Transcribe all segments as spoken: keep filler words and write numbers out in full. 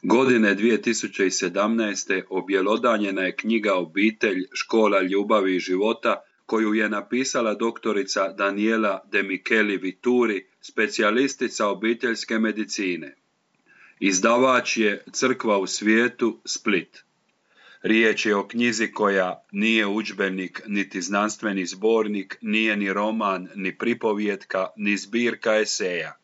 Godine dvije tisuće sedamnaeste. objelodanjena je knjiga Obitelj, škola ljubavi i života koju je napisala doktorica Daniela De Micheli Vituri, specijalistica obiteljske medicine. Izdavač je Crkva u svijetu, Split. Riječ je o knjizi koja nije udžbenik, niti znanstveni zbornik, nije ni roman, ni pripovjetka, ni zbirka eseja.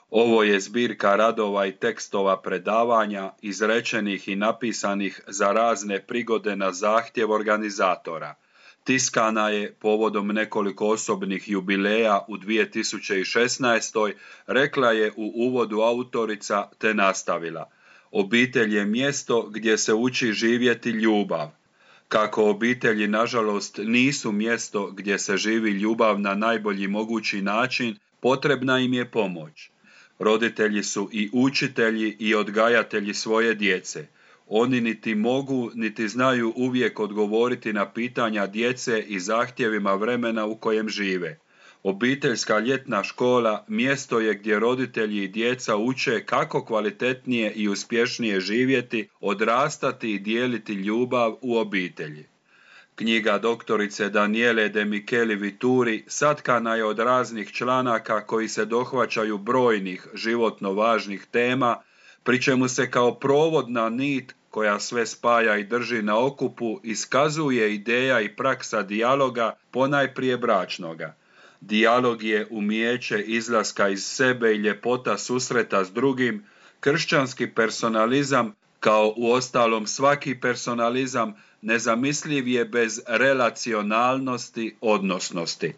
Ovo je zbirka radova i tekstova predavanja, izrečenih i napisanih za razne prigode na zahtjev organizatora. Tiskana je povodom nekoliko osobnih jubileja u dvije tisuće šesnaestoj. Rekla je u uvodu autorica te nastavila: obitelj je mjesto gdje se uči živjeti ljubav. Kako obitelji, nažalost, nisu mjesto gdje se živi ljubav na najbolji mogući način, potrebna im je pomoć. Roditelji su i učitelji i odgajatelji svoje djece. Oni niti mogu, niti znaju uvijek odgovoriti na pitanja djece i zahtjevima vremena u kojem žive. Obiteljska ljetna škola mjesto je gdje roditelji i djeca uče kako kvalitetnije i uspješnije živjeti, odrastati i dijeliti ljubav u obitelji. Knjiga doktorice Daniele De Micheli Vituri satkana je od raznih članaka koji se dohvaćaju brojnih životno važnih tema, pri čemu se kao provodna nit koja sve spaja i drži na okupu iskazuje ideja i praksa dijaloga, ponajprije bračnoga. Dijalog je umijeće izlaska iz sebe i ljepota susreta s drugim. Kršćanski personalizam, kao uostalom svaki personalizam, nezamisliv je bez relacionalnosti, odnosnosti.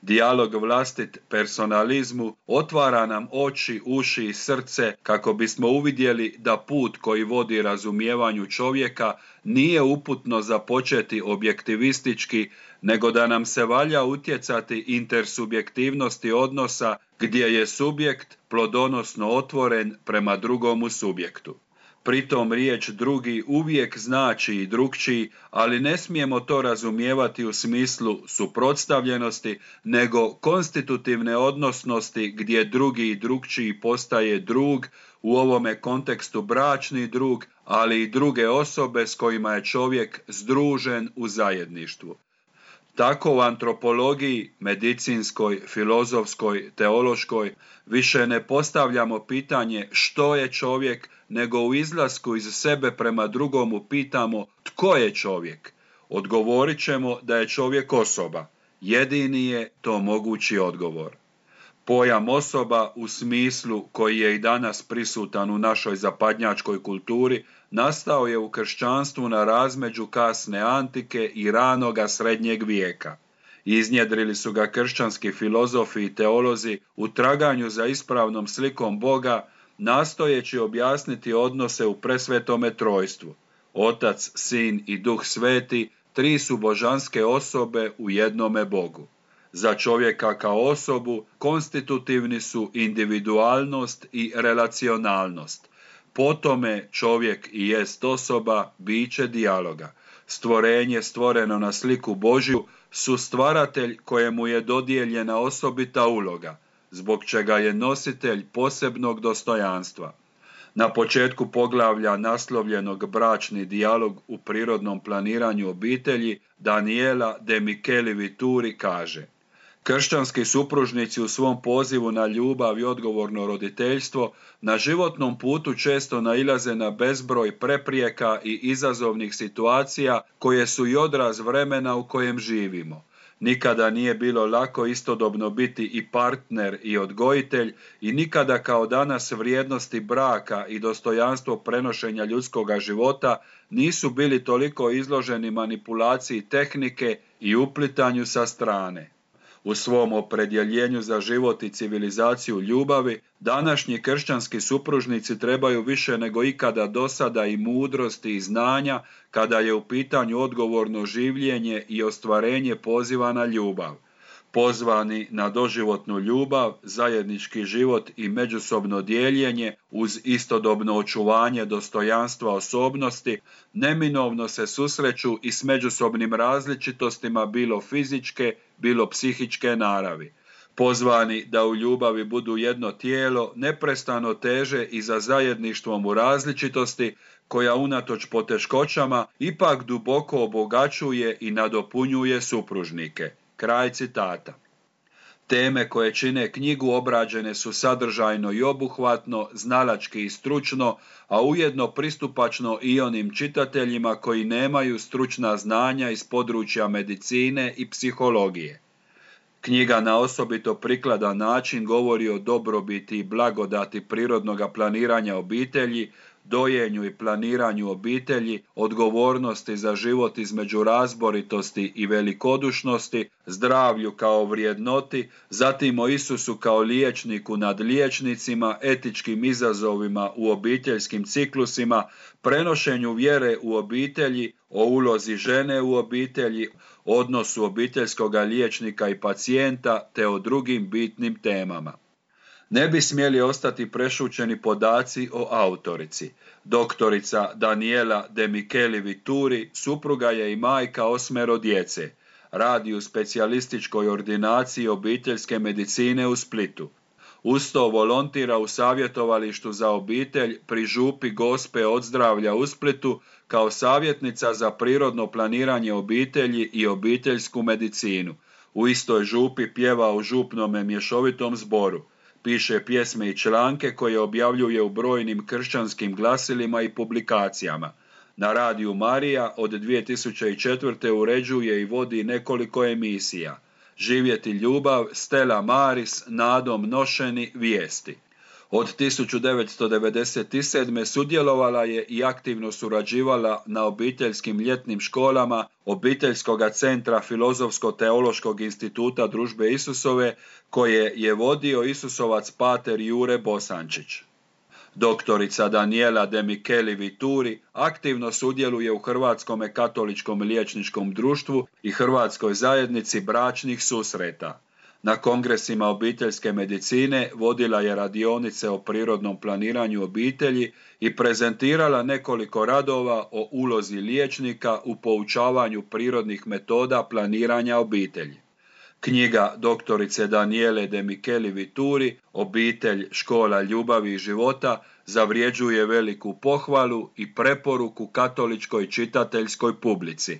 Dijalog vlastit personalizmu otvara nam oči, uši i srce kako bismo uvidjeli da put koji vodi razumijevanju čovjeka nije uputno započeti objektivistički, nego da nam se valja utjecati intersubjektivnosti odnosa gdje je subjekt plodonosno otvoren prema drugomu subjektu. Pritom riječ drugi uvijek znači i drukčiji, ali ne smijemo to razumijevati u smislu suprotstavljenosti, nego konstitutivne odnosnosti gdje drugi i drukčiji postaje drug, u ovome kontekstu bračni drug, ali i druge osobe s kojima je čovjek združen u zajedništvu. Tako u antropologiji, medicinskoj, filozofskoj, teološkoj više ne postavljamo pitanje što je čovjek, nego u izlasku iz sebe prema drugomu pitamo tko je čovjek. Odgovorit ćemo da je čovjek osoba. Jedini je to mogući odgovor. Pojam osoba u smislu koji je i danas prisutan u našoj zapadnjačkoj kulturi nastao je u kršćanstvu na razmeđu kasne antike i ranoga srednjeg vijeka. Iznjedrili su ga kršćanski filozofi i teolozi u traganju za ispravnom slikom Boga, nastojeći objasniti odnose u presvetome trojstvu. Otac, Sin i Duh Sveti, tri su božanske osobe u jednome Bogu. Za čovjeka kao osobu konstitutivni su individualnost i relacionalnost. Po tome čovjek i jest osoba, biće dijaloga. Stvorenje stvoreno na sliku Božju, su stvaratelj kojemu je dodijeljena osobita uloga, zbog čega je nositelj posebnog dostojanstva. Na početku poglavlja naslovljenog Bračni dijalog u prirodnom planiranju obitelji, Daniela De Micheli Vituri kaže: kršćanski supružnici u svom pozivu na ljubav i odgovorno roditeljstvo na životnom putu često nailaze na bezbroj preprijeka i izazovnih situacija koje su i odraz vremena u kojem živimo. Nikada nije bilo lako istodobno biti i partner i odgojitelj i nikada kao danas vrijednosti braka i dostojanstvo prenošenja ljudskoga života nisu bili toliko izloženi manipulaciji tehnike i uplitanju sa strane. U svom opredjeljenju za život i civilizaciju ljubavi, današnji kršćanski supružnici trebaju više nego ikada dosada i mudrosti i znanja kada je u pitanju odgovorno življenje i ostvarenje poziva na ljubav. Pozvani na doživotnu ljubav, zajednički život i međusobno dijeljenje uz istodobno očuvanje dostojanstva osobnosti, neminovno se susreću i s međusobnim različitostima bilo fizičke, bilo psihičke naravi. Pozvani da u ljubavi budu jedno tijelo, neprestano teže i za zajedništvom u različitosti, koja unatoč poteškoćama ipak duboko obogaćuje i nadopunjuje supružnike. Kraj citata. Teme koje čine knjigu obrađene su sadržajno i obuhvatno, znalački i stručno, a ujedno pristupačno i onim čitateljima koji nemaju stručna znanja iz područja medicine i psihologije. Knjiga na osobito prikladan način govori o dobrobiti i blagodati prirodnog planiranja obitelji, dojenju i planiranju obitelji, odgovornosti za život između razboritosti i velikodušnosti, zdravlju kao vrijednoti, zatim o Isusu kao liječniku nad liječnicima, etičkim izazovima u obiteljskim ciklusima, prenošenju vjere u obitelji, o ulozi žene u obitelji, odnosu obiteljskog liječnika i pacijenta te o drugim bitnim temama. Ne bi smjeli ostati prešućeni podaci o autorici. Doktorica Daniela De Micheli Vituri supruga je i majka osmero djece. Radi u specijalističkoj ordinaciji obiteljske medicine u Splitu. Uz to volontira u savjetovalištu za obitelj pri župi Gospe od zdravlja u Splitu kao savjetnica za prirodno planiranje obitelji i obiteljsku medicinu. U istoj župi pjeva u župnome mješovitom zboru. Piše pjesme i članke koje objavljuje u brojnim kršćanskim glasilima i publikacijama. Na radiju Marija od dvije tisuće četvrte. uređuje i vodi nekoliko emisija. Živjeti ljubav, Stella Maris, Nadom nošeni, Vijesti. Od tisuću devetsto devedeset sedme. sudjelovala je i aktivno surađivala na obiteljskim ljetnim školama Obiteljskog centra Filozofsko-teološkog instituta Družbe Isusove, koje je vodio Isusovac pater Jure Bosančić. Doktorica Daniela De Micheli Vituri aktivno sudjeluje u Hrvatskom katoličkom liječničkom društvu i Hrvatskoj zajednici bračnih susreta. Na kongresima obiteljske medicine vodila je radionice o prirodnom planiranju obitelji i prezentirala nekoliko radova o ulozi liječnika u poučavanju prirodnih metoda planiranja obitelji. Knjiga doktorice Daniele De Micheli Vituri, Obitelj, škola ljubavi i života, zavrjeđuje veliku pohvalu i preporuku katoličkoj čitateljskoj publici.